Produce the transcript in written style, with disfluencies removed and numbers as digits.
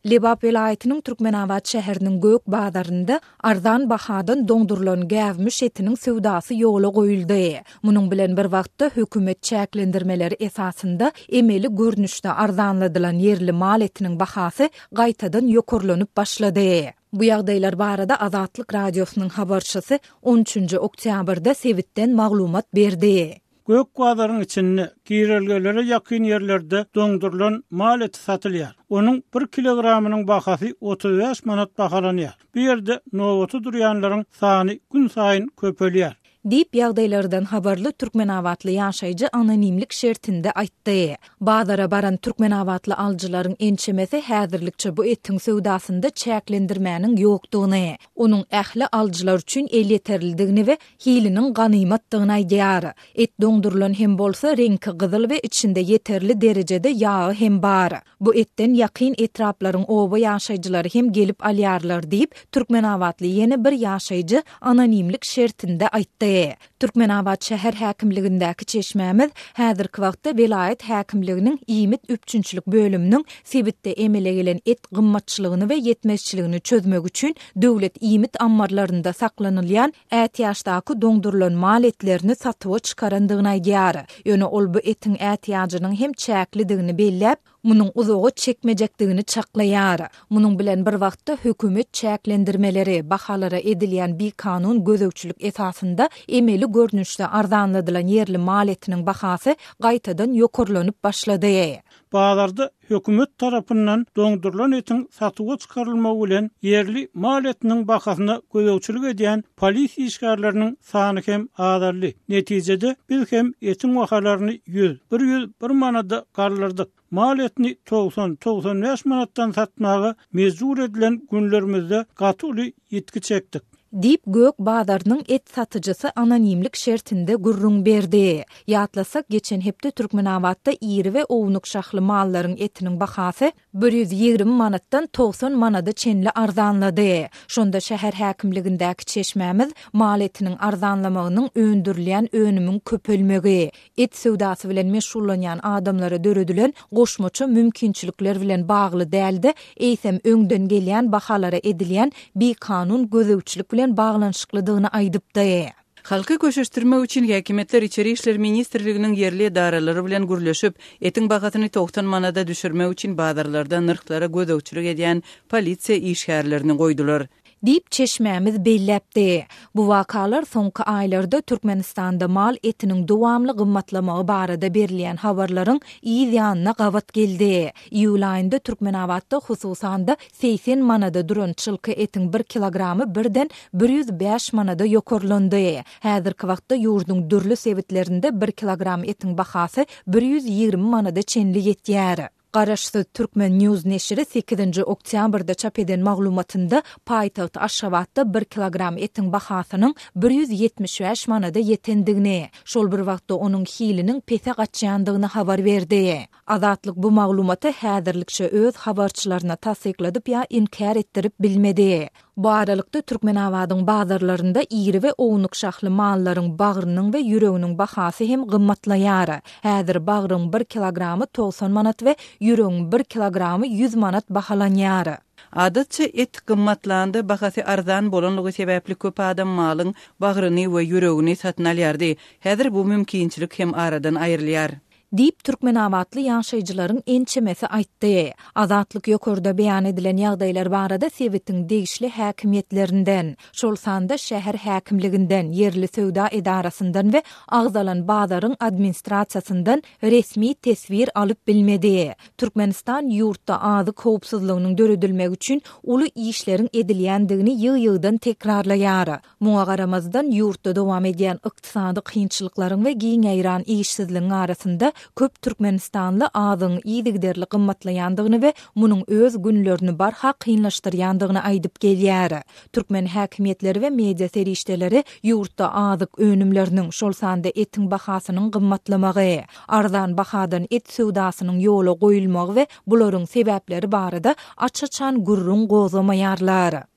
Lebap welaýatynyň Türkmenabat şäheriniň gök bazarynda arzan bahadan doňdurylan gäwmiş etiniň söwdasy ýola goýuldy. Munuň bilen bir wagtda, hökümet çäklendirmeleri esasynda emeli görnüşde arzanladylan ýerli mal etiniň bahasy gaýtadan ýokarlanyp başlady. Bu ýagdaýlar barada Azatlyk Radiosynyň habarçysy on üçünji oktýabrda sebitden maglumat berdi. Gök bazaryň içinde, girelgelere ýakyn ýerlerde doňdurylan mal eti satylýar. Onuň bir kilogramynyň bahasy 35 manat bahalanýar. Bu ýerde nobata durýanlaryň sany günsaýyn köpelýär. Diýip, ýagdaýlardan habarly türkmenabatly ýaşaýjy anonimlik şertinde aýtdy. Bazara baran türkmenabatly alyjylaryň ençemesi häzirlikçe bu etiň söwdasynda çäklendirmäniň ýokdugyny, onuň ähli alyjylar üçin elýeterlidigini we hiliniň ganymatdygyny aýdýar. Et doňdurylan hem bolsa, reňki gyzyl we içinde ýeterli derejede ýagy hem bar. Bu etden ýakyn etraplaryň oba ýaşaýjylary hem gelip alýarlar diýip, türkmenabatly ýene bir ýaşaýjy anonimlik şertinde aýtdy. Türkmenabat şäher häkimligindäki çeşmämiz häzirki wagtda welaýat häkimliginiň iýmit üpjünçilik bölüminiň sebitde emele gelen et gymmatçylygyny we ýetmezçiligini çözmek üçin döwlet iýmit ammarlarynda saklanylýan ätiýaçdaky doňdurylan mal etlerini satuwa çykarandygyny aýdýar. Ýöne ol bu etiň ätiýajynyň hem çäklidigini belläp, munuň uzaga çekmejekdigini çaklaýar. Munuň bilen bir wagtda hökümet çäklendirmeleri, bahalara edilýän bikanun gözegçilik esasynda emeli görnüşde arzanladylan ýerli mal etiniň bahasy gaýtadan ýokarlanyp başlady. Bazarda hökümet tarapyndan doňdurylan etiň satuwa çykarylmagy bilen ýerli mal etiniň bahasyna gözegçilik edýän polisiýa işgärleriniň sany hem azaldy. Netijede, biz hem etiň bahalaryny 100, 101 manada galdyrdyk. Mal etini 90, 95 manatdan satmaga mejbur edilen günlerimizde gaty uly ýitgi çekdik. Diýip, Gök bazarynyň et satyjysy anonimlik şertinde gürrüň berdi. Ýatlasak, geçen hepde Türkmenabatda iri we ownuk şahly mallaryň etiniň bahasy 120 manatdan 90 manada çenli arzanlady. Şonda şäher häkimligindäki çeşmämiz mal etiniň arzanlamagynyň öndürilýän önümiň köpelmegi, Et söwdasy bilen meşgullanýan adamlara döredilen goşmaça mümkinçilikler bilen bagly däl-de, eýsem öňden gelýän bahalara edilýän bikanun gözegçilik bilen baglanyşyklydygyny aýdypdy. Halky köşeşdirmek üçin häkimiýetler Içeri işler ministrliginiň ýerli edaralary bilen gürleşip, etiň bahasyny 90 manada düşürmek üçin bazarlarda nyrhlara gözegçilik edýän polisiýa işgärlerini goýdular. Diýip, çeşmämiz belläpdi. Bu wakalar soňky aýlarda Türkmenistanda mal etiniň dowamly gymmatlamagy barada berilýän habarlaryň yz ýanyna gabat geldi. Iýul aýynda Türkmenabatda, hususan-da, 80 manada duran çylka etiň bir kilogramy birden 105 manada ýokarlandy. Häzirki wagtda ýurduň dürli sebitlerinde bir kilogram etiň bahasy 120 manada çenli ýetýär. Garaşsyz Turkmen News neşiri sekizinji oktýabrda çap eden maglumatynda paýtagt Aşgabatda bir kilogram etiň bahasynyň 175 manada ýetendigini, şol bir wagtda onuň hiliniň pese gaçýandygyny habar berdi. Azatlyk bu maglumaty häzirlikçe öz habarçylaryna tassykladyp ýa inkär etdirip bilmedi. Bu aralykda, Türkmenabadyň bazarlarynda iri we ownuk şahly mallaryň bagrynyň we ýüreginiň bahasy hem gymmatlaýar. Häzir bagryň bir kilogramy 90 manat we ýüregiň bir kilogramy 100 manat bahalanýar. Adatça, et gymmatlanda bahasy arzan bolanlygy sebäpli köp adam malyň bagryny we ýüregini satyn alýardy. Häzir bu mümkinçilik hem aradan aýrylýar. Diýip, türkmenabatly ýaşaýjylaryň ençemesi aýtdy. Azatlyk ýokarda beýan edilen ýagdaýlar barada sebitiň degişli häkimiýetlerinden, şol sanda şäher häkimliginden, ýerli söwda edarasyndan we agzalan bazaryň administrasiýasyndan resmi teswir alyp bilmedi. Türkmenistan ýurtda azyk howpsuzlygynyň döredilmegi üçin uly işleriň edilýändigini ýygy-ýygydan tekrarlaýar. Muňa garamazdan, ýurtda dowam edýän ykdysady kynçylyklaryň we giň ýaýran işsizligiň arasynda köp türkmenistanly azygyň yzygiderli gymmatlaýandygyny we munuň öz günlerini barha kynlaşdyrýandygyny aýdyp gelýär. Türkmen häkimiýetleri we media serişdeleri ýurtda azyk önümleriniň, şol sanda etiň bahasynyň gymmatlamagy, arzan bahadan et söwdasynyň ýola goýulmagy we bularyň sebäpleri barada aç-açan gürrüň gozgamaýarlar.